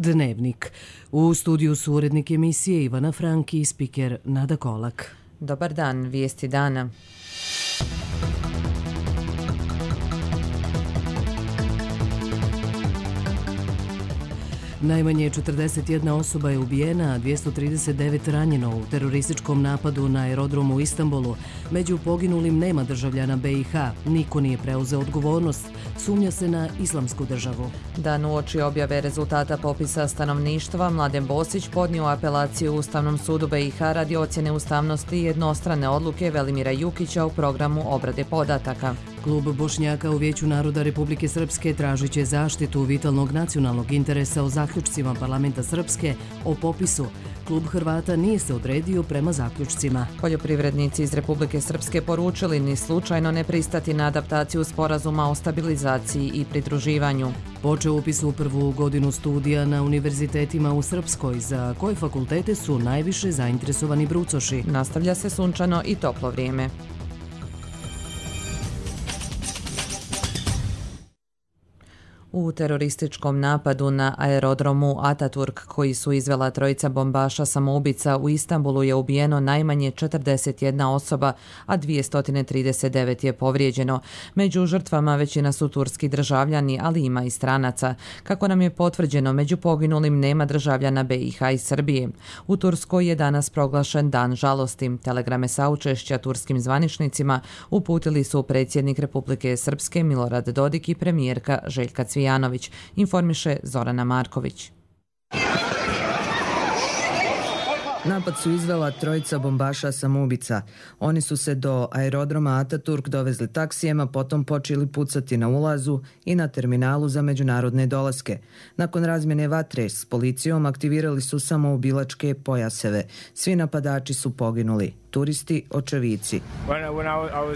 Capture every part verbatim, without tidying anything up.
Dnevnik. U studiju su urednik emisije Ivana Franki i spiker Nada Kolak. Dobar dan, vijesti dana. Najmanje četrdeset jedna osoba je ubijena, a dvjesto trideset devet ranjeno u terorističkom napadu na aerodromu u Istanbulu. Među poginulim nema državljana B i H. Niko nije preuzeo odgovornost. Sumnja se na islamsku državu. Dan uoči objave rezultata popisa stanovništva, Mladen Bosić podnio apelaciju Ustavnom sudu B i H radi ocjene ustavnosti i jednostrane odluke Velimira Jukića u programu obrade podataka. Klub Bošnjaka u Vijeću naroda Republike Srpske tražit će zaštitu vitalnog nacionalnog interesa o zaključcima parlamenta Srpske o popisu. Klub Hrvata nije se odredio prema zaključcima. Poljoprivrednici iz Republike Srpske poručili ni slučajno ne pristati na adaptaciju sporazuma o stabilizaciji i pridruživanju. Počeo upis u prvu godinu studija na univerzitetima u Srpskoj, za koje fakultete su najviše zainteresovani brucoši. Nastavlja se sunčano i toplo vrijeme. U terorističkom napadu na aerodromu Ataturk koji su izvela trojica bombaša samoubica u Istanbulu je ubijeno najmanje četrdeset jedna osoba, a dvjesto trideset devet je povrijeđeno. Među žrtvama većina su turski državljani, ali ima i stranaca. Kako nam je potvrđeno, među poginulim nema državljana B i H i Srbije. U Turskoj je danas proglašen dan žalosti. Telegrame saučešća turskim zvaničnicima uputili su predsjednik Republike Srpske Milorad Dodik i premijerka Željka Cvijanović. Janović, informiše Zorana Marković. Napad su izvela trojica bombaša samoubica. Oni su se do aerodroma Ataturk dovezli taksijema, potom počeli pucati na ulazu i na terminalu za međunarodne dolaske. Nakon razmjene vatre s policijom aktivirali su samoubilačke pojaseve. Svi napadači su poginuli. Turisti, očevici.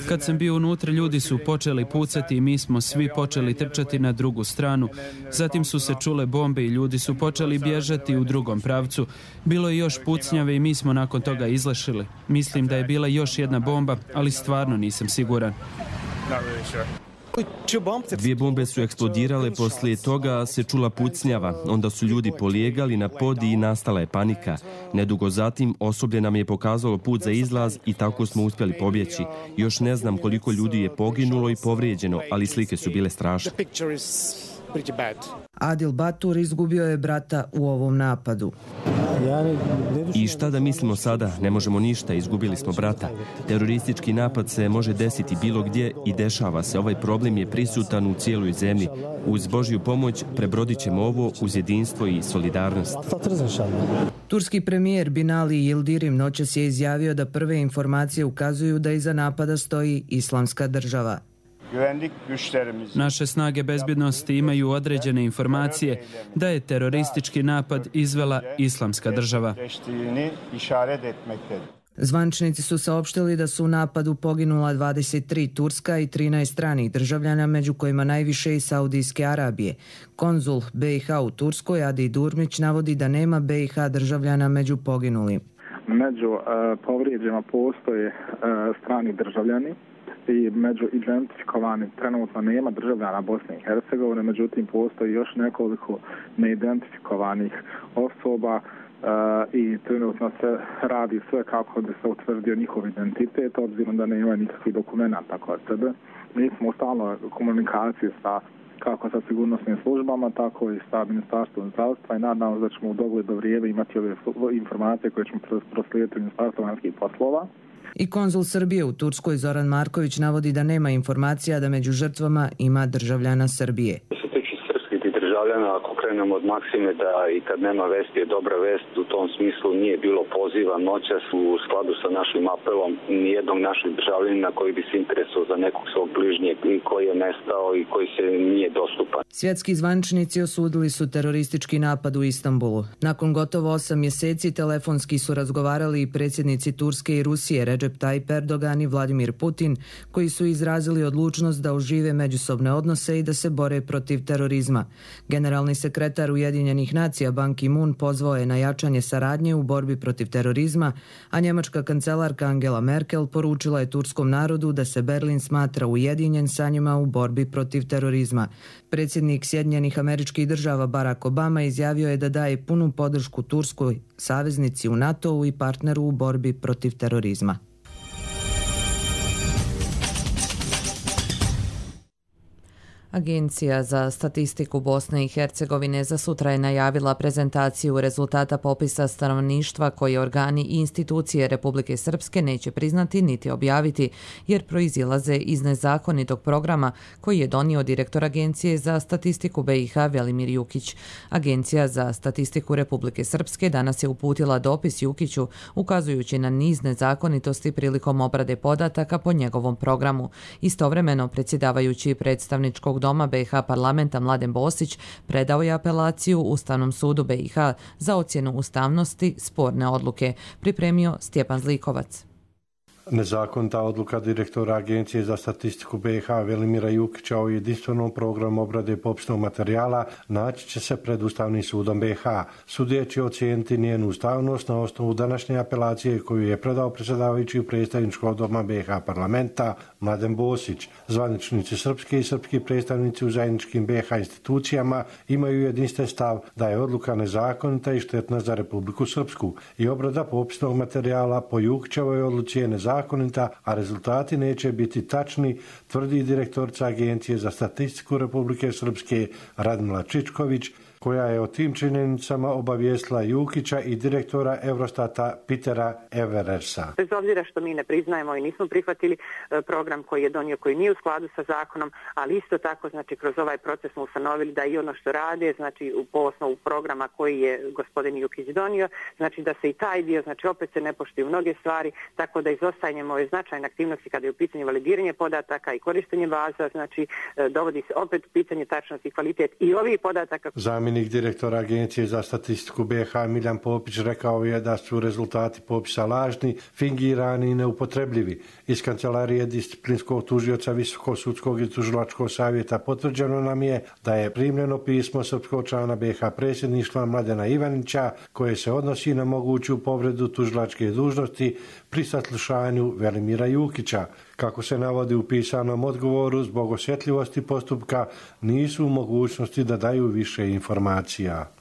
Kad sam bio unutra, ljudi su počeli pucati i mi smo svi počeli trčati na drugu stranu. Zatim su se čule bombe i ljudi su počeli bježati u drugom pravcu. Bilo je još pucnjave i mi smo nakon toga izlešili. Mislim da je bila još jedna bomba, ali stvarno nisam siguran. Dvije bombe su eksplodirale, poslije toga se čula pucnjava, onda su ljudi polijegali na pod i nastala je panika. Nedugo zatim osoblje nam je pokazalo put za izlaz i tako smo uspjeli pobjeći. Još ne znam koliko ljudi je poginulo i povrijeđeno, ali slike su bile strašne. Adil Batur izgubio je brata u ovom napadu. I šta da mislimo sada? Ne možemo ništa, izgubili smo brata. Teroristički napad se može desiti bilo gdje i dešava se. Ovaj problem je prisutan u cijeloj zemlji. Uz Božju pomoć prebrodit ćemo ovo uz jedinstvo i solidarnost. Turski premijer Binali Yildirim noćas je izjavio da prve informacije ukazuju da iza napada stoji Islamska država. Naše snage bezbjednosti imaju određene informacije da je teroristički napad izvela Islamska država. Zvaničnici su saopštili da su u napadu poginula dvadeset tri turska i trinaest stranih državljana, među kojima najviše i Saudijske Arabije. Konzul B i H u Turskoj, Adi Durmić, navodi da nema B i H državljana među poginulim. Među uh, povrijeđima postoje uh, strani državljani i među identifikovanim trenutno nema državljana Bosne i Hercegovine, međutim postoji još nekoliko neidentifikovanih osoba uh, i trenutno se radi sve kako bi se utvrdio njihov identitet, obzirom da nema nikakvih dokumenta kod sebe. Mi smo u stalnoj komunikaciji sa kako sa sigurnosnim službama, tako i sa Ministarstvom zdravstva i nadam se da ćemo u dogledno vrijeme imati ove informacije koje ćemo proslijediti Ministarstvu vanjskih poslova. I konzul Srbije u Turskoj Zoran Marković navodi da nema informacija da među žrtvama ima državljana Srbije. Ako krenemo od maksime da i kad nema vesti je dobra vest, u tom smislu nije bilo poziva noćas u skladu sa našim apelom nijednog našeg državljanina koji bi se interesovao za nekog svog bližnjeg i koji je nestao i koji se nije dostupan. Svjetski zvaničnici osudili su teroristički napad u Istanbulu. Nakon gotovo osam mjeseci telefonski su razgovarali i predsjednici Turske i Rusije Recep Tayyip Erdogan i Vladimir Putin, koji su izrazili odlučnost da ožive međusobne odnose i da se bore protiv terorizma. Generalni sekretar Ujedinjenih nacija Ban Ki-moon pozvao je na jačanje saradnje u borbi protiv terorizma, a njemačka kancelarka Angela Merkel poručila je turskom narodu da se Berlin smatra ujedinjen sa njima u borbi protiv terorizma. Predsjednik Sjedinjenih Američkih Država Barack Obama izjavio je da daje punu podršku Turskoj, saveznici u NATO-u i partneru u borbi protiv terorizma. Agencija za statistiku Bosne i Hercegovine za sutra je najavila prezentaciju rezultata popisa stanovništva koje organi i institucije Republike Srpske neće priznati niti objaviti, jer proizilaze iz nezakonitog programa koji je donio direktor Agencije za statistiku B i H Velimir Jukić. Agencija za statistiku Republike Srpske danas je uputila dopis Jukiću ukazujući na niz nezakonitosti prilikom obrade podataka po njegovom programu. Istovremeno, predsjedavajući predstavničkog doma B i H parlamenta Mladen Bosić predao je apelaciju Ustavnom sudu B i H za ocjenu ustavnosti sporne odluke, pripremio Stjepan Zlikovac. Nezakonita odluka direktora Agencije za statistiku B i H Velimira Jukića o jedinstvenom programu obrade popisnog materijala naći će se pred Ustavnim sudom B i H. Sudija će ocijeniti njenu ustavnost na osnovu današnje apelacije koju je predao predsjedavajući predstavničkog doma B i H parlamenta Mladen Bosić. Zvaničnici srpski i srpski predstavnici u zajedničkim B i H institucijama imaju jedinstven stav da je odluka nezakonita i štetna za Republiku Srpsku i obrada popisnog materijala po Jukićevoj odluci je nezakonita, a rezultati neće biti tačni, tvrdi direktorica Agencije za statistiku Republike Srpske Radmila Čičković, koja je o tim činjenicama obavijestila Jukića i direktora Eurostata Petera Everersa. Bez obzira što mi ne priznajemo i nismo prihvatili program koji je donio, koji nije u skladu sa zakonom, ali isto tako, znači, kroz ovaj proces smo ustanovili da i ono što rade, znači, po osnovu programa koji je gospodin Jukić donio, znači da se i taj dio, znači opet se ne poštuju mnoge stvari, tako da izostajanjem ove značajne aktivnosti kada je u pitanju validiranje podataka i korištenje baza, znači dovodi se opet u pitanje tačnost i kvalitet i ovih podataka. Zamjenik direktora Agencije za statistiku B i H Miljan Popić rekao je da su rezultati popisa lažni, fingirani i neupotrebljivi. Iz kancelarije disciplinskog tužioca Visokog sudskog i tužilačkog savjeta potvrđeno nam je da je primljeno pismo srpskog člana B i H predsjedništva Mladena Ivanića koje se odnosi na moguću povredu tužilačke dužnosti pri saslušanju Velimira Jukića. Kako se navodi u pisanom odgovoru, zbog osjetljivosti postupka nisu u mogućnosti da daju više informacija.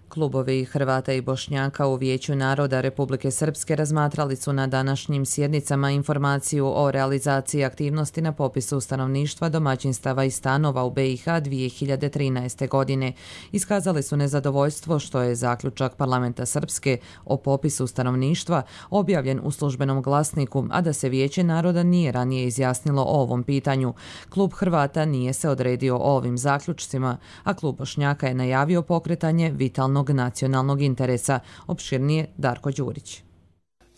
Klubovi Hrvata i Bošnjaka u Vijeću naroda Republike Srpske razmatrali su na današnjim sjednicama informaciju o realizaciji aktivnosti na popisu stanovništva, domaćinstava i stanova u B i H dvije hiljade trinaeste. godine. Iskazali su nezadovoljstvo što je zaključak Parlamenta Srpske o popisu stanovništva objavljen u službenom glasniku, a da se Vijeće naroda nije ranije izjasnilo o ovom pitanju. Klub Hrvata nije se odredio o ovim zaključcima, a klub Bošnjaka je najavio pokretanje vitalnog nacionalnog interesa. Opširnije Darko Đurić.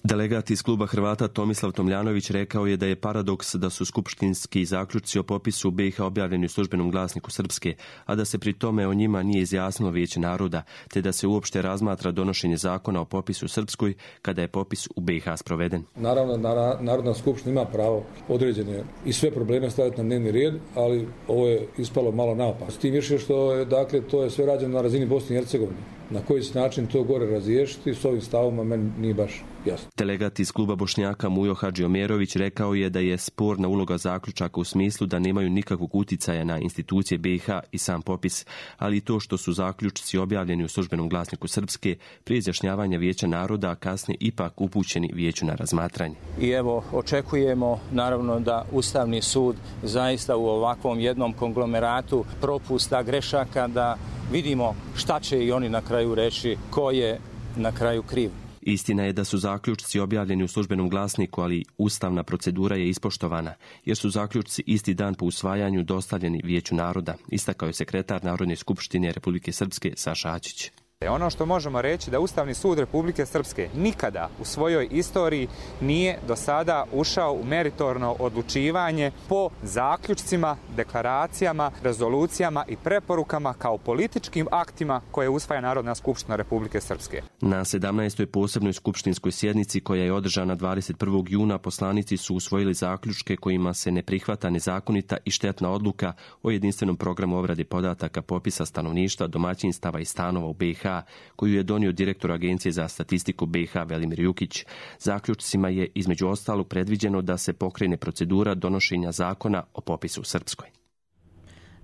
Delegat iz kluba Hrvata Tomislav Tomljanović rekao je da je paradoks da su skupštinski zaključci o popisu B i H objavljeni u službenom glasniku Srpske, a da se pri tome o njima nije izjasnilo Vijeće naroda, te da se uopšte razmatra donošenje zakona o popisu Srpskoj kada je popis u B i H sproveden. Naravno, Narodna skupština ima pravo određene i sve probleme staviti na dnevni red, ali ovo je ispalo malo naopako. S tim više što je, dakle, to je sve rađeno na razini Bosne i Hercegovine. Na koji se način to gore razriješiti s ovim stavoma meni nije baš jasno. Delegat iz kluba Bošnjaka Mujo Hadžiomerović rekao je da je sporna uloga zaključaka u smislu da nemaju nikakvog uticaja na institucije B i H i sam popis, ali i to što su zaključci objavljeni u službenom glasniku Srpske prije izjašnjavanja Vijeća naroda, a kasnije ipak upućeni Vijeću na razmatranje. I evo, očekujemo naravno da Ustavni sud zaista u ovakvom jednom konglomeratu propusta, grešaka, da vidimo šta će i oni na kraju reći, ko je na kraju kriv. Istina je da su zaključci objavljeni u službenom glasniku, ali ustavna procedura je ispoštovana, jer su zaključci isti dan po usvajanju dostavljeni Vijeću naroda, istakao je sekretar Narodne skupštine Republike Srpske Saša Ačić. Ono što možemo reći da Ustavni sud Republike Srpske nikada u svojoj istoriji nije do sada ušao u meritorno odlučivanje po zaključcima, deklaracijama, rezolucijama i preporukama kao političkim aktima koje usvaja Narodna skupština Republike Srpske. Na sedamnaestoj posebnoj skupštinskoj sjednici koja je održana dvadeset prvog juna poslanici su usvojili zaključke kojima se ne prihvata nezakonita i štetna odluka o jedinstvenom programu obrade podataka popisa stanovništva, domaćinstava i stanova u B i H koju je donio direktor Agencije za statistiku B i H Velimir Jukić. Zaključcima je između ostalog predviđeno da se pokrene procedura donošenja zakona o popisu u Srpskoj.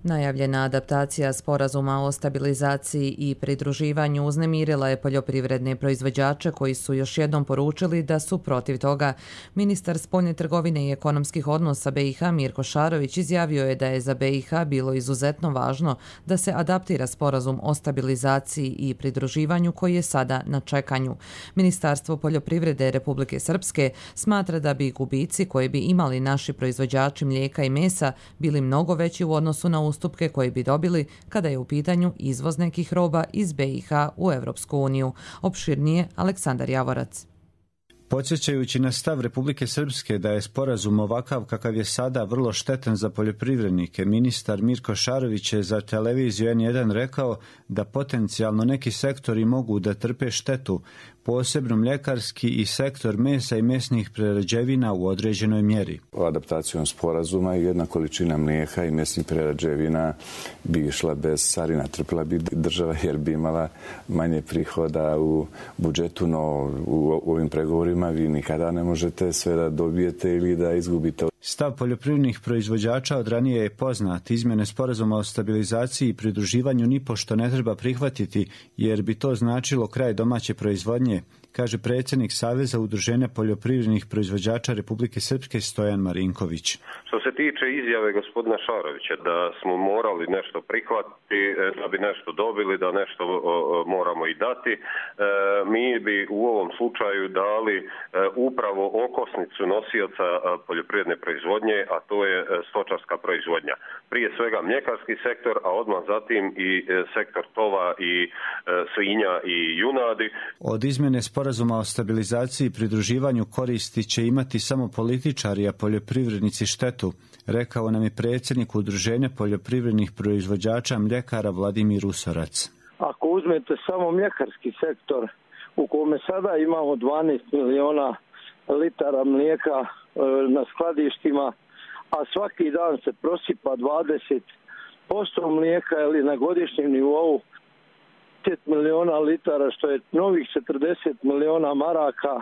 Najavljena adaptacija sporazuma o stabilizaciji i pridruživanju uznemirila je poljoprivredne proizvođače koji su još jednom poručili da su protiv toga. Ministar spoljne trgovine i ekonomskih odnosa B i H Mirko Šarović izjavio je da je za B i H bilo izuzetno važno da se adaptira sporazum o stabilizaciji i pridruživanju koji je sada na čekanju. Ministarstvo poljoprivrede Republike Srpske smatra da bi gubici koje bi imali naši proizvođači mlijeka i mesa bili mnogo veći u odnosu na ustupke koje bi dobili kada je u pitanju izvoz nekih roba iz B i H u Evropsku uniju. Opširnije Aleksandar Javorac. Podsjećajući na stav Republike Srpske da je sporazum ovakav kakav je sada vrlo štetan za poljoprivrednike, ministar Mirko Šarović je za televiziju N jedan rekao da potencijalno neki sektori mogu da trpe štetu, posebno mljekarski i sektor mesa i mesnih prerađevina u određenoj mjeri. Adaptacijom sporazuma jedna količina mlijeka i mesnih prerađevina bi išla bez carina, trpila bi država jer bi imala manje prihoda u budžetu, no u ovim pregovorima vi nikada ne možete sve da dobijete ili da izgubite. Stav poljoprivrednih proizvođača od ranije je poznat. Izmjene sporazuma o stabilizaciji i pridruživanju nipošto ne treba prihvatiti jer bi to značilo kraj domaće proizvodnje, kaže predsjednik Saveza udruženja poljoprivrednih proizvođača Republike Srpske Stojan Marinković. Što se tiče izjave gospodina Šarovića da smo morali nešto prihvatiti, da bi nešto dobili, da nešto moramo i dati, mi bi u ovom slučaju dali upravo okosnicu nosioca poljoprivredne proizvodnje, a to je stočarska proizvodnja. Prije svega mljekarski sektor, a odmah zatim i sektor tova i svinja i junadi. Od izmjene sporazuma o stabilizaciji i pridruživanju koristi će imati samo političari, a poljoprivrednici štetu, rekao nam je predsjednik Udruženja poljoprivrednih proizvođača mljekara Vladimir Usorac. Ako uzmete samo mljekarski sektor u kome sada imamo dvanaest miliona litara mlijeka na skladištima, a svaki dan se prosipa dvadeset posto mlijeka ili na godišnjem nivou pet miliona litara, što je novih četrdeset miliona maraka.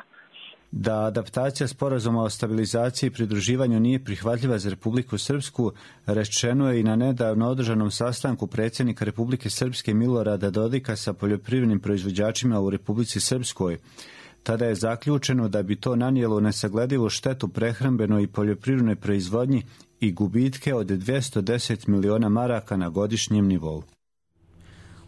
Da adaptacija sporazuma o stabilizaciji i pridruživanju nije prihvatljiva za Republiku Srpsku, rečeno je i na nedavno održanom sastanku predsjednika Republike Srpske Milorada Dodika sa poljoprivrednim proizvođačima u Republici Srpskoj. Tada je zaključeno da bi to nanijelo nesagledivu štetu prehrambenoj i poljoprivrednoj proizvodnji i gubitke od dvjesto deset miliona maraka na godišnjem nivou.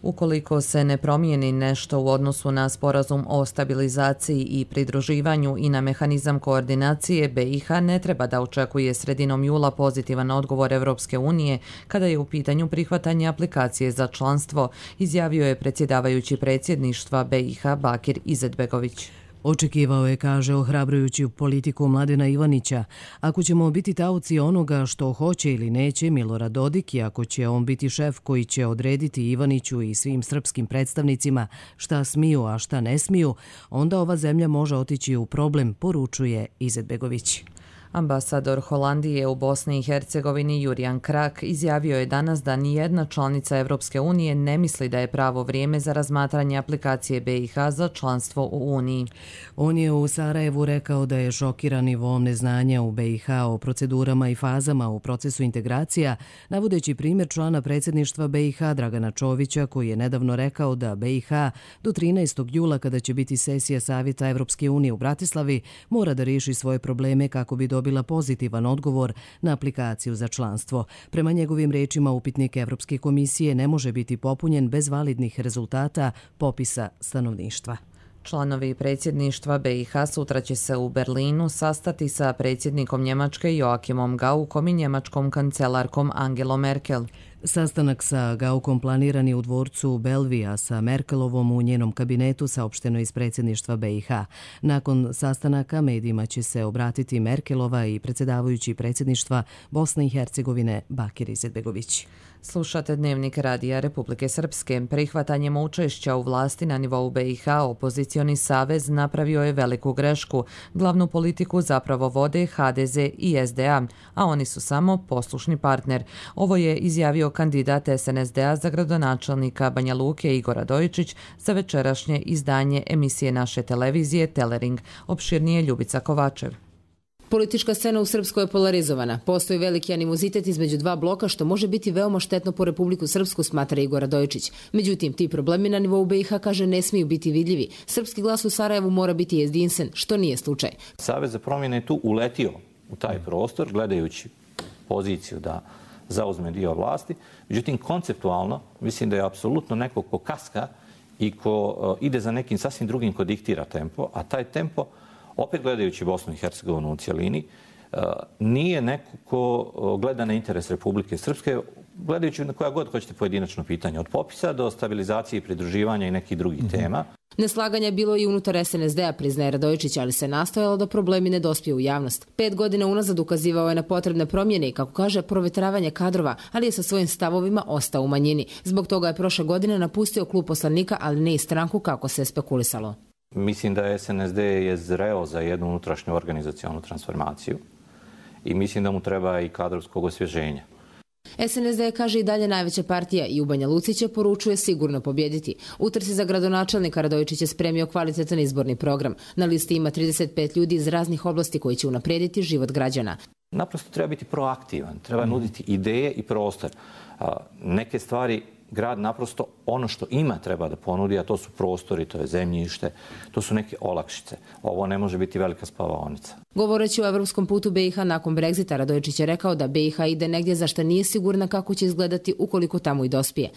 Ukoliko se ne promijeni nešto u odnosu na sporazum o stabilizaciji i pridruživanju i na mehanizam koordinacije, B i H ne treba da očekuje sredinom jula pozitivan odgovor Evropske unije kada je u pitanju prihvatanje aplikacije za članstvo, izjavio je predsjedavajući predsjedništva B i H Bakir Izetbegović. Očekivao je, kaže, ohrabrujući politiku Mladena Ivanića. Ako ćemo biti taoci onoga što hoće ili neće Milorad Dodik i ako će on biti šef koji će odrediti Ivaniću i svim srpskim predstavnicima šta smiju, a šta ne smiju, onda ova zemlja može otići u problem, poručuje Izetbegović. Ambasador Holandije u Bosni i Hercegovini Jurijan Krak izjavio je danas da nijedna članica Evropske unije ne misli da je pravo vrijeme za razmatranje aplikacije B i H za članstvo u Uniji. On je u Sarajevu rekao da je šokiran nivom neznanja u B i H o procedurama i fazama u procesu integracija, navodeći primjer člana predsjedništva B i H Dragana Čovića koji je nedavno rekao da B i H do trinaestog jula kada će biti sesija Savjeta Evropske unije u Bratislavi mora da riješi svoje probleme kako bi dobila pozitivan odgovor na aplikaciju za članstvo. Prema njegovim rečima, upitnik Evropske komisije ne može biti popunjen bez validnih rezultata popisa stanovništva. Članovi predsjedništva B i H sutra će se u Berlinu sastati sa predsjednikom Njemačke Joachimom Gaukom i njemačkom kancelarkom Angelom Merkel. Sastanak sa Gaukom planiran je u dvorcu Belvija sa Merkelovom u njenom kabinetu, saopšteno iz predsjedništva B i H. Nakon sastanaka medijima će se obratiti Merkelova i predsjedavajući predsjedništva Bosne i Hercegovine Bakir Izetbegović. Slušate Dnevnik Radija Republike Srpske. Prihvatanjem učešća u vlasti na nivou B i H opozicioni savez napravio je veliku grešku. Glavnu politiku zapravo vode H D Z i S D A, a oni su samo poslušni partner. Ovo je izjavio kandidat S N S D A za gradonačelnika Banja Luke Igor Radojičić za večerašnje izdanje emisije naše televizije Telering. Opširnije Ljubica Kovačev. Politička scena u Srpskoj je polarizovana. Postoji veliki animozitet između dva bloka što može biti veoma štetno po Republiku Srpsku, smatra Igor Radojičić. Međutim, ti problemi na nivou B i H, kaže, ne smiju biti vidljivi. Srpski glas u Sarajevu mora biti jedinstven, što nije slučaj. Savez za promjene je tu uletio u taj prostor, gledajući poziciju da zauzme dio vlasti. Međutim, konceptualno, mislim da je apsolutno neko ko kaska i ko ide za nekim sasvim drugim ko diktira tempo, a taj tempo, opet gledajući Bosnu i Hercegovinu u cijelini, nije neko ko gleda na interes Republike Srpske, gledajući na koja god hoćete pojedinačno pitanje, od popisa do stabilizacije i pridruživanja i nekih drugih mm-hmm. tema. Neslaganja je bilo i unutar S N S D A, priznaje Radojičić, ali se nastojalo da problemi ne dospije u javnost. Pet godina unazad ukazivao je na potrebne promjene i, kako kaže, provjetravanje kadrova, ali je sa svojim stavovima ostao u manjini. Zbog toga je prošle godine napustio klub poslanika, ali ne i stranku kako se je spekulisalo. Mislim da S N S D je zreo za jednu unutrašnju organizacionu transformaciju i mislim da mu treba i kadrovskog osvježenja. S N S D, kaže, i dalje najveća partija i u Banja Luci će, poručuje, sigurno pobjediti. U trci za gradonačelnika Radojičić je spremio kvalitetan izborni program. Na listi ima trideset pet ljudi iz raznih oblasti koji će unaprijediti život građana. Naprosto treba biti proaktivan, treba nuditi ideje i prostor. Neke stvari grad naprosto ono što ima treba da ponudi, a to su prostori, to je zemljište, to su neke olakšice. Ovo ne može biti velika spavaonica. Govoreći o evropskom putu B i H nakon Brexita, Radojičić je rekao da B i H ide negdje za što nije sigurna kako će izgledati ukoliko tamo i dospije.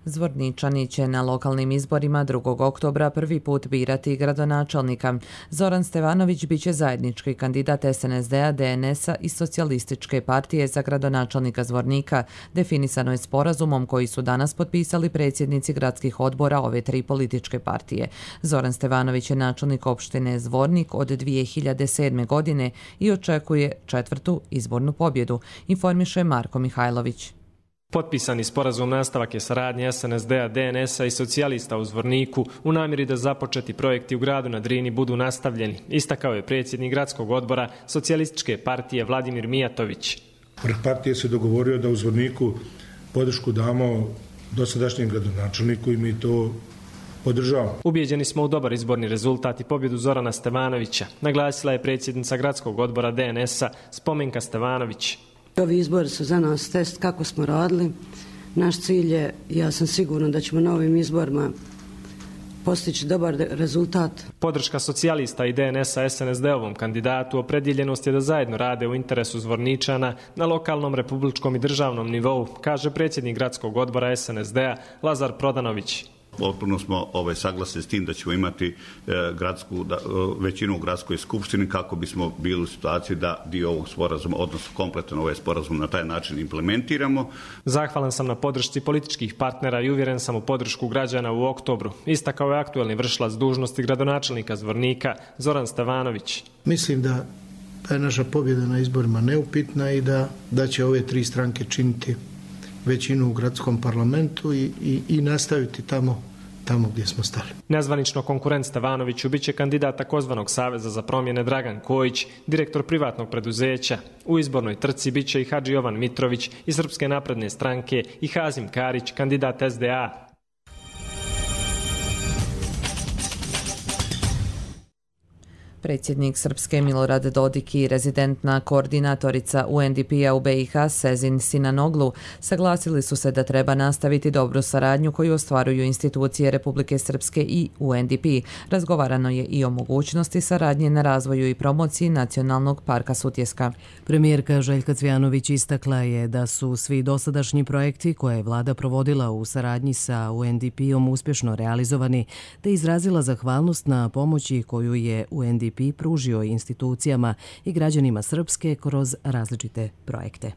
Zvorničani će na lokalnim izborima drugog oktobra prvi put birati gradonačelnika. Zoran Stevanović biće zajednički kandidat S N S D A, D N S-a i Socijalističke partije za gradonačelnika Zvornika. Definisano je sporazumom koji su danas potpisali predsjednici gradskih odbora ove tri političke partije. Zoran Stevanović je načelnik opštine Zvornik od dvije hiljade sedme. godine i očekuje četvrtu izbornu pobjedu, informiše Marko Mihajlović. Potpisani sporazum nastavak je saradnje S N S D A, D N S-a i socijalista u Zvorniku u namjeri da započeti projekti u gradu na Drini budu nastavljeni, istakao je predsjednik gradskog odbora Socijalističke partije Vladimir Mijatović. Vrh partije se dogovorio da u Zvorniku podršku damo dosadašnjem gradonačelniku i mi to podržavamo. Ubijeđeni smo u dobar izborni rezultat i pobjedu Zorana Stevanovića, naglasila je predsjednica gradskog odbora D N S-a Spomenka Stevanović. Ovi izbori su za nas test kako smo radili. Naš cilj je, ja sam sigurna da ćemo na ovim izborima postići dobar rezultat. Podrška socijalista i D N S-a S N S D-ovom kandidatu opredjeljenost je da zajedno rade u interesu Zvorničana na lokalnom, republičkom i državnom nivou, kaže predsjednik gradskog odbora S N S D-a Lazar Prodanović. Potpuno smo ovaj, saglasni s tim da ćemo imati e, gradsku, da, većinu u gradskoj skupštini kako bismo bili u situaciji da dio ovog sporazuma, odnosno kompletan ovaj sporazum na taj način implementiramo. Zahvalan sam na podršci političkih partnera i uvjeren sam u podršku građana u oktobru, istakao je aktuelni vršilac dužnosti gradonačelnika Zvornika Zoran Stevanović. Mislim da je naša pobjeda na izborima neupitna i da, da će ove tri stranke činiti većinu u gradskom parlamentu i, i, i nastaviti tamo, tamo gdje smo stali. Nezvanično konkurent Stevanoviću biće kandidat takozvanog Saveza za promjene Dragan Kojić, direktor privatnog preduzeća. U izbornoj trci biće i Hadži Jovan Mitrović iz Srpske napredne stranke i Hazim Karić, kandidat S D A. Predsjednik Srpske Milorad Dodik i rezidentna koordinatorica U N D P-a u B i H Sezin Sinanoglu saglasili su se da treba nastaviti dobru saradnju koju ostvaruju institucije Republike Srpske i U N D P. Razgovarano je i o mogućnosti saradnje na razvoju i promociji Nacionalnog parka Sutjeska. Premijerka Željka Cvjanović istakla je da su svi dosadašnji projekti koje je vlada provodila u saradnji sa U N D P-om uspješno realizovani, te izrazila zahvalnost na pomoći koju je U N D P pružio institucijama i građanima Srpske kroz različite projekte.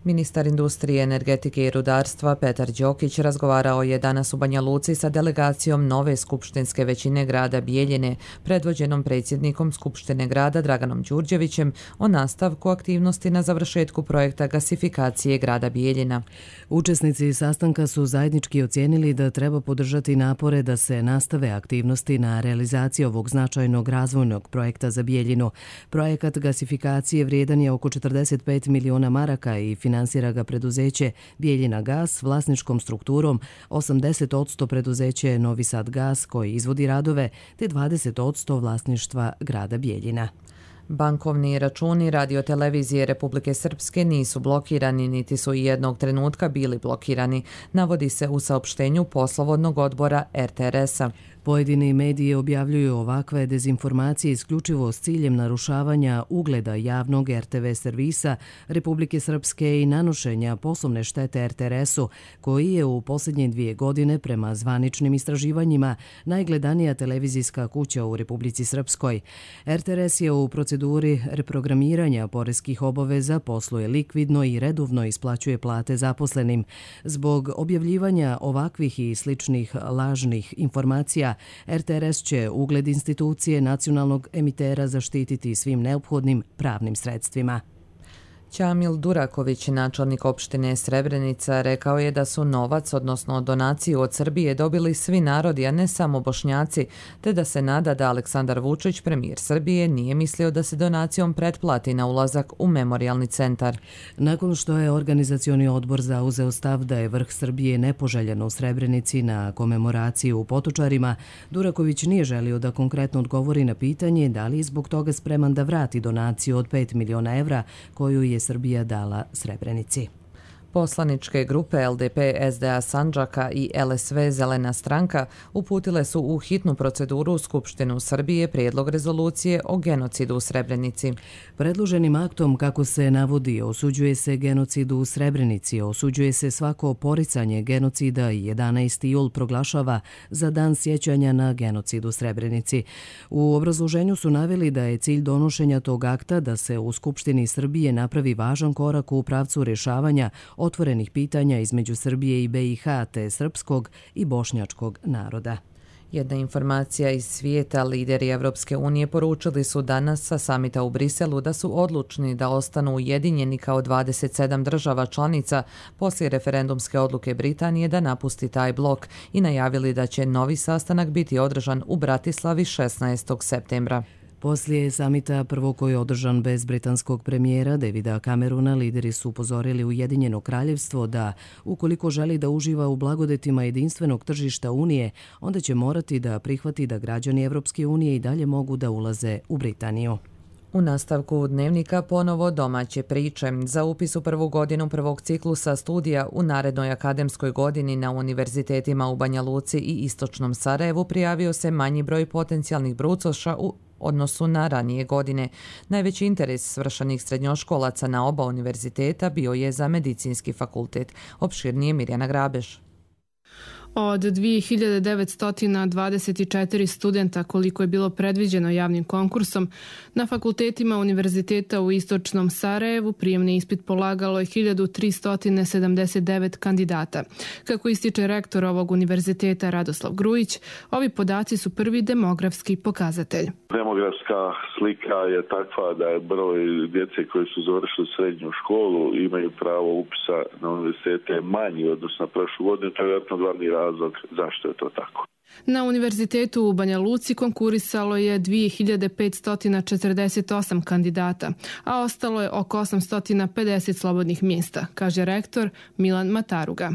Ministar industrije, energetike i rudarstva Petar Đokić razgovarao je danas u Banja Luci sa delegacijom nove skupštinske većine grada Bijeljine, predvođenom predsjednikom Skupštine grada Draganom Đurđevićem, o nastavku aktivnosti na završetku projekta gasifikacije grada Bijeljina. Učesnici sastanka su zajednički ocijenili da treba podržati napore da se nastave aktivnosti na realizaciji ovog značajnog razvojnog projekta za Bijeljinu. Projekat gasifikacije vrijedan je oko četrdeset pet miliona maraka i finansira ga preduzeće Bijeljina gas vlasničkom strukturom, osamdeset posto preduzeće Novi Sad gas koji izvodi radove, te dvadeset posto vlasništva grada Bijeljina. Bankovni računi radiotelevizije Republike Srpske nisu blokirani, niti su i jednog trenutka bili blokirani, navodi se u saopštenju poslovodnog odbora er te er es-a. Pojedini mediji objavljuju ovakve dezinformacije isključivo s ciljem narušavanja ugleda javnog er te ve servisa Republike Srpske i nanošenja poslovne štete er te er es-u, koji je u posljednje dvije godine prema zvaničnim istraživanjima najgledanija televizijska kuća u Republici Srpskoj. er te er es je u proceduri reprogramiranja poreskih obaveza, posluje likvidno i redovno isplaćuje plate zaposlenim. Zbog objavljivanja ovakvih i sličnih lažnih informacija, er te er es će ugled institucije nacionalnog emitera zaštititi svim neophodnim pravnim sredstvima. Ćamil Duraković, načelnik opštine Srebrenica, rekao je da su novac, odnosno donaciju od Srbije, dobili svi narodi, a ne samo Bošnjaci, te da se nada da Aleksandar Vučić, premijer Srbije, nije mislio da se donacijom pretplati na ulazak u memorijalni centar. Nakon što je organizacioni odbor zauzeo stav da je vrh Srbije nepoželjen u Srebrenici na komemoraciju u Potočarima, Duraković nije želio da konkretno odgovori na pitanje da li je zbog toga spreman da vrati donaciju od pet miliona evra koju je Srbija dala Srebrenici. Poslaničke grupe el de pe es de a Sandžaka i el es ve Zelena stranka uputile su u hitnu proceduru u Skupštinu Srbije prijedlog rezolucije o genocidu u Srebrenici. Predloženim aktom, kako se navodi, osuđuje se genocid u Srebrenici, osuđuje se svako poricanje genocida i jedanaesti jul proglašava za dan sjećanja na genocid u Srebrenici. U obrazloženju su naveli da je cilj donošenja tog akta da se u Skupštini Srbije napravi važan korak u pravcu rješavanja otvorenih pitanja između Srbije i be i ha te srpskog i bošnjačkog naroda. Jedna informacija iz svijeta, lideri Evropske unije poručili su danas sa samita u Briselu da su odlučni da ostanu ujedinjeni kao dvadeset sedam država članica poslije referendumske odluke Britanije da napusti taj blok i najavili da će novi sastanak biti održan u Bratislavi šesnaestog septembra. Poslije samita prvo koji je održan bez britanskog premijera Davida Camerona, lideri su upozorili Ujedinjeno kraljevstvo da, ukoliko želi da uživa u blagodetima jedinstvenog tržišta Unije, onda će morati da prihvati da građani Evropske unije i dalje mogu da ulaze u Britaniju. U nastavku dnevnika ponovo domaće priče. Za upis u prvu godinu prvog ciklusa studija u narednoj akademskoj godini na univerzitetima u Banja Luci i Istočnom Sarajevu prijavio se manji broj potencijalnih brucoša u odnosu na ranije godine. Najveći interes svršenih srednjoškolaca na oba univerziteta bio je za medicinski fakultet. Opširnije Mirjana Grabeš. Od dvije hiljade devetsto dvadeset četiri studenta, koliko je bilo predviđeno javnim konkursom, na fakultetima univerziteta u Istočnom Sarajevu prijemni ispit polagalo je hiljadu tristo sedamdeset devet kandidata. Kako ističe rektor ovog univerziteta Radoslav Grujić, ovi podaci su prvi demografski pokazatelj. Demografska slika je takva da je broj djece koji su završili srednju školu i imaju pravo upisa na univerzitete manji odnosno na prošlu godinu, to je vjerojatno glavni razlog zašto je to tako. Na univerzitetu u Banja Luci konkurisalo je dvije hiljade petsto četrdeset osam kandidata, a ostalo je oko osamsto pedeset slobodnih mjesta, kaže rektor Milan Mataruga.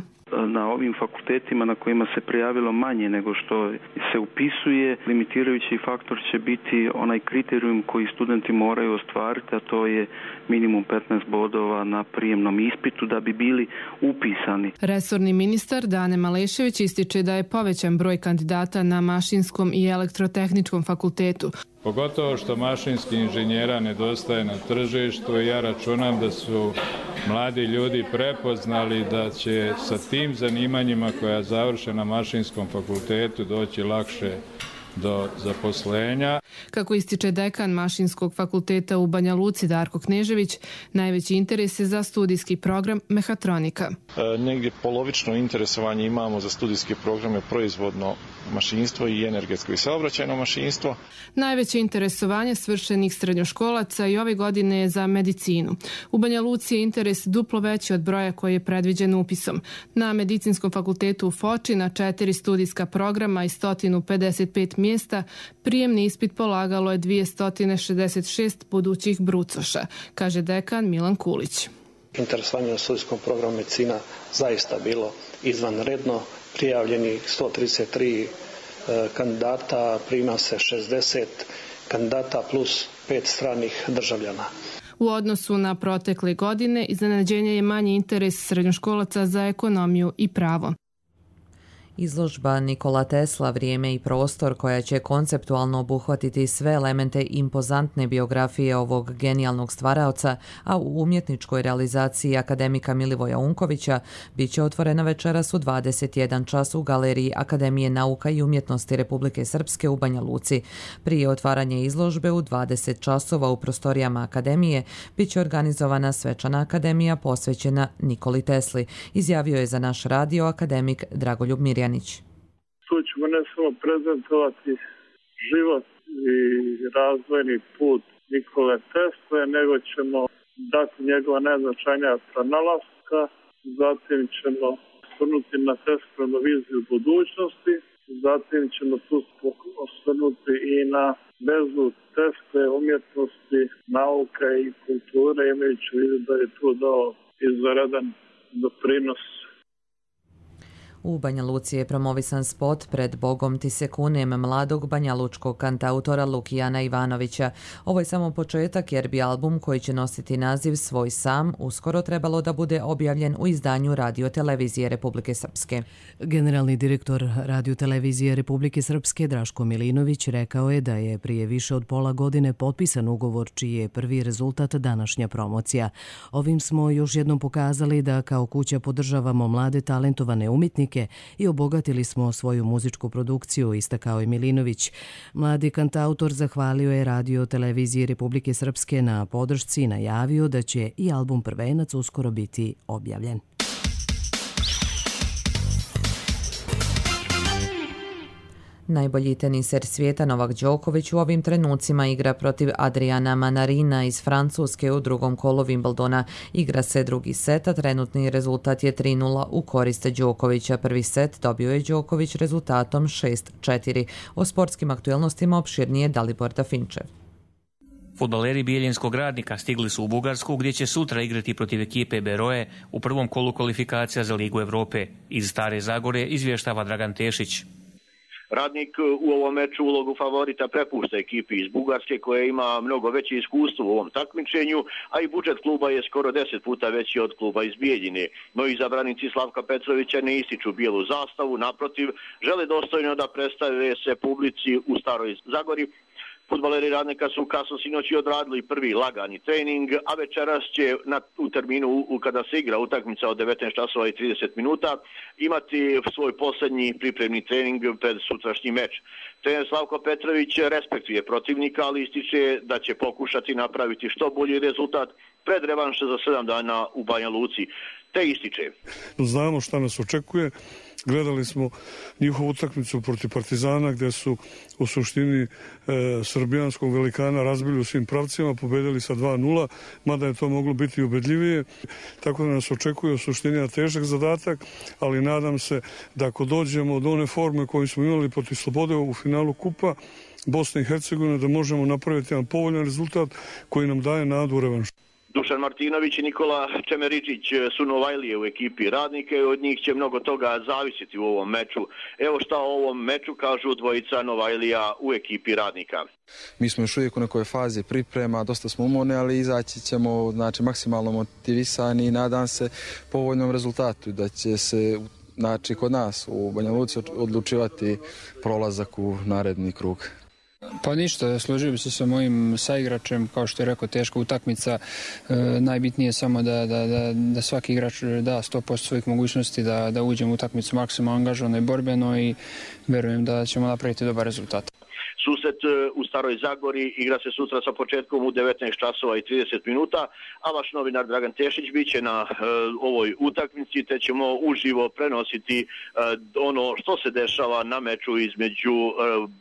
Na ovim fakultetima na kojima se prijavilo manje nego što se upisuje, limitirajući faktor će biti onaj kriterijum koji studenti moraju ostvariti, a to je minimum petnaest bodova na prijemnom ispitu da bi bili upisani. Resorni ministar Dane Malešević ističe da je povećan broj kandidata na mašinskom i elektrotehničkom fakultetu. Pogotovo što mašinskih inženjera nedostaje na tržištu i ja računam da su mladi ljudi prepoznali da će sa tim zanimanjima koja završe na mašinskom fakultetu doći lakše do zaposlenja. Kako ističe dekan Mašinskog fakulteta u Banja Luci Darko Knežević, najveći interes je za studijski program mehatronika. E, negdje polovično interesovanje imamo za studijske programe proizvodno mašinstvo i energetsko i saobraćajno mašinstvo. Najveće interesovanje svršenih srednjoškolaca i ove godine je za medicinu. U Banja Luci je interes duplo veći od broja koji je predviđen upisom. Na Medicinskom fakultetu u Foči na četiri studijska programa i sto pedeset pet mjesta prijemni ispit polagalo je dvjesto šezdeset šest budućih brucoša, kaže dekan Milan Kulić. Interesovanje na studijskom programu medicina zaista bilo izvanredno. Prijavljeni sto trideset tri kandidata, prima se šezdeset kandidata plus pet stranih državljana. U odnosu na protekle godine, iznenađenje je manji interes srednjoškolaca za ekonomiju i pravo. Izložba Nikola Tesla, vrijeme i prostor, koja će konceptualno obuhvatiti sve elemente impozantne biografije ovog genijalnog stvaraoca, a u umjetničkoj realizaciji akademika Milivoja Unkovića, bit će otvorena večeras u dvadeset jedan čas u Galeriji Akademije nauka i umjetnosti Republike Srpske u Banja Luci. Prije otvaranja izložbe u dvadeset časova u prostorijama Akademije bit će organizovana svečana akademija posvećena Nikoli Tesli, izjavio je za naš radio akademik Dragoljub Mirjanić. Tu ćemo ne samo prezentovati život i razvojni put Nikole Tesle, nego ćemo dati njegova najznačajnija pronalaska, zatim ćemo osvrnuti na Teslinu viziju budućnosti, zatim ćemo tu osvrnuti i na vezu Tesle, umjetnosti, nauke i kulture, imajući u vidu da je tu dao izvanredan doprinos. U Banja Luci je promovisan spot Pred Bogom ti se kunem mladog banjalučkog kantautora Lukijana Ivanovića. Ovo je samo početak jer bi album koji će nositi naziv Svoj sam uskoro trebalo da bude objavljen u izdanju Radio-televizije Republike Srpske. Generalni direktor Radio-televizije Republike Srpske Draško Milinović rekao je da je prije više od pola godine potpisan ugovor čiji je prvi rezultat današnja promocija. Ovim smo još jednom pokazali da kao kuća podržavamo mlade talentovane umjetnike i obogatili smo svoju muzičku produkciju, istakao je Milinović. Mladi kantautor zahvalio je Radio-televiziji Republike Srpske na podršci i najavio da će i album Prvenac uskoro biti objavljen. Najbolji teniser svijeta Novak Đoković u ovim trenucima igra protiv Adriana Manarina iz Francuske u drugom kolu Wimbledona. Igra se drugi set, a trenutni rezultat je tri nula u korist Đokovića. Prvi set dobio je Đoković rezultatom šest četiri. O sportskim aktuelnostima opširnije Dalibor Dafinčev. Fudbaleri Bijeljinskog Radnika stigli su u Bugarsku gdje će sutra igrati protiv ekipe Beroe u prvom kolu kvalifikacija za Ligu Evrope. Iz Stare Zagore izvještava Dragan Tešić. Radnik u ovom meču ulogu favorita prepušta ekipi iz Bugarske koja ima mnogo veće iskustvo u ovom takmičenju, a i budžet kluba je skoro deset puta veći od kluba iz Bijeljine. No i zabranici Slavka Petrovića ne ističu bijelu zastavu, naprotiv, žele dostojno da predstave se publici u Staroj Zagori. Fudbaleri Radnika su kasno sinoći odradili prvi lagani trening, a večeras će na, u terminu u, kada se igra utakmica od devetnaest časova i trideset minuta imati svoj posljednji pripremni trening pred sutrašnji meč. Trener Slavko Petrović respektuje protivnika, ali ističe da će pokušati napraviti što bolji rezultat pred revanše za sedam dana u Banja Luci. Te ističe. Znamo šta nas očekuje. Gledali smo njihovu utakmicu protiv Partizana gdje su u suštini e, srbijanskog velikana razbili u svim pravcima, pobedili sa dva nula, mada je to moglo biti ubedljivije. Tako da nas očekuje u suštini težak zadatak, ali nadam se da ako dođemo do one forme koju smo imali protiv Slobode u finalu kupa Bosne i Hercegovine, da možemo napraviti jedan povoljan rezultat koji nam daje nadu u revanšu. Dušan Martinović i Nikola Čemeričić su Novajlije u ekipi Radnika i od njih će mnogo toga zavisiti u ovom meču. Evo šta o ovom meču kažu dvojica Novajlija u ekipi Radnika. Mi smo još uvijek u nekoj fazi priprema, dosta smo umorni, ali izaći ćemo znači, maksimalno motivisani i nadam se povoljnom rezultatu da će se znači, kod nas u Banja Luci odlučivati prolazak u naredni krug. Pa ništa, složio bi se sa mojim saigračem, kao što je rekao, teška utakmica. E, najbitnije je samo da, da, da, da svaki igrač da sto posto svojih mogućnosti, da, da uđemo u utakmicu maksimalno angažovano i borbeno i verujem da ćemo napraviti dobar rezultat. susret u Staroj Zagori igra se sutra sa početkom u devetnaest časova i trideset minuta, a vaš novinar Dragan Tešić bit će na ovoj utakmici, te ćemo uživo prenositi ono što se dešava na meču između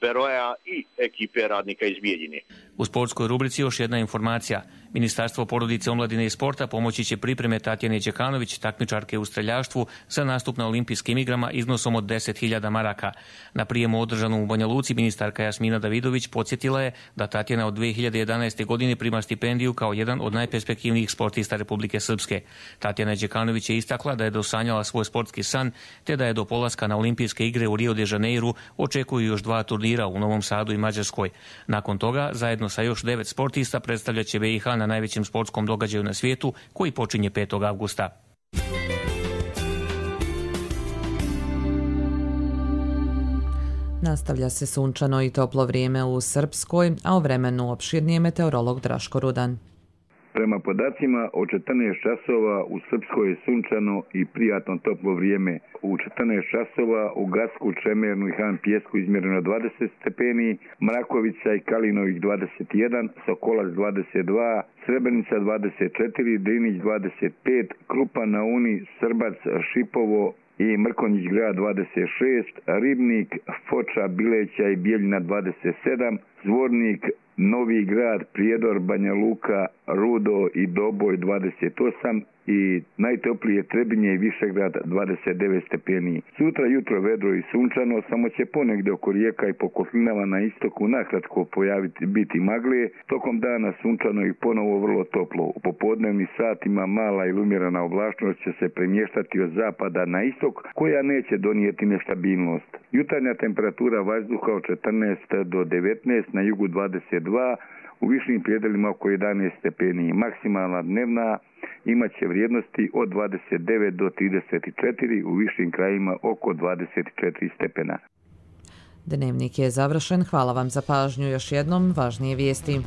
Beroja i ekipe Radnika iz Bijeljine. U sportskoj rubrici još jedna informacija. Ministarstvo porodice, omladine i sporta pomoći će pripreme Tatjane Đekanović, takmičarke u streljaštvu, za nastup na olimpijskim igrama iznosom od deset hiljada maraka. Na prijemu održanom u Banja Luci ministarka Jasmina Davidović podsjetila je da Tatjana od dve hiljade jedanaeste. godine prima stipendiju kao jedan od najperspektivnijih sportista Republike Srpske. Tatjana Đekanović je istakla da je dosanjala svoj sportski san, te da je do polaska na olimpijske igre u Rio de Janeiru očekuju još dva turnira u Novom Sadu i Mađarskoj. Nakon toga, zajedno sa još devet sportista predstavljaće B i H na najvećem sportskom događaju na svijetu koji počinje petog avgusta. Nastavlja se sunčano i toplo vrijeme u Srpskoj, a o vremenu opširnije meteorolog Draško Rudan. Prema podacima od četrnaest časova u Srpskoj je sunčano i prijatno toplo vrijeme. U četrnaest časova u Gacku, Čemernu i Han Pijesku izmjereno dvadeset stepeni, Mrakovica i Kalinovih dvadeset jedan, Sokolac dvadeset dva, Srebrenica dvadeset četiri, Drinić dvadeset pet, Krupa na Uni, Srbac, Šipovo i Mrkonjić grad dvadeset šest, Ribnik, Foča, Bileća i Bijeljina dvadeset sedam, Zvornik, Novi grad, Prijedor, Banja Luka, Rudo i Doboj dvadeset osam i najtoplije Trebinje i Višegrad dvadeset devet stepeni. Sutra jutro vedro i sunčano, samo će ponegdje oko rijeka i po kotlinama na istoku nakratko pojaviti biti magle, tokom dana sunčano i ponovo vrlo toplo. U popodnevnim satima mala ili umjerena oblačnost će se premještati od zapada na istok, koja neće donijeti nestabilnost. Jutarnja temperatura vazduha od četrnaest do devetnaest, na jugu dvadeset dva, u višim predjelima oko jedanaest stepeni. Maksimalna dnevna imat će vrijednosti od dvadeset devet do trideset četiri, u višim krajima oko dvadeset četiri stepena. Dnevnik je završen. Hvala vam za pažnju. Još jednom važnije vijesti.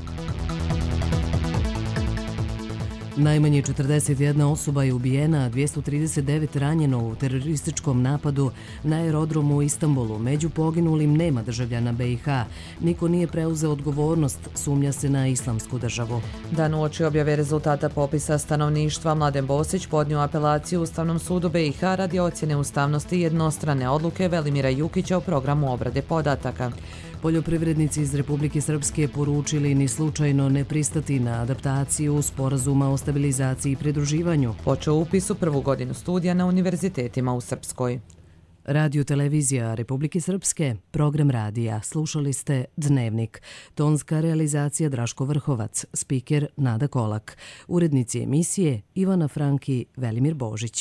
Najmanje četrdeset jedna osoba je ubijena, a dvjesto trideset devet ranjeno u terorističkom napadu na aerodromu u Istanbulu. Među poginulim nema državljana B i H. Niko nije preuzeo odgovornost, sumnja se na islamsku državu. Dan uoči objave rezultata popisa stanovništva, Mladen Bosić podnio apelaciju Ustavnom sudu B i H radi ocjene ustavnosti jednostrane odluke Velimira Jukića o programu obrade podataka. Poljoprivrednici iz Republike Srpske poručili ni slučajno ne pristati na adaptaciju sporazuma o stabilizaciji i pridruživanju. Počeo upis u prvu godinu studija na univerzitetima u Srpskoj. Radio televizija Republike Srpske, program radija. Slušali ste Dnevnik. Tonska realizacija Draško Vrhovac, spiker Nada Kolak. Urednici emisije Ivana Franki, Velimir Božić.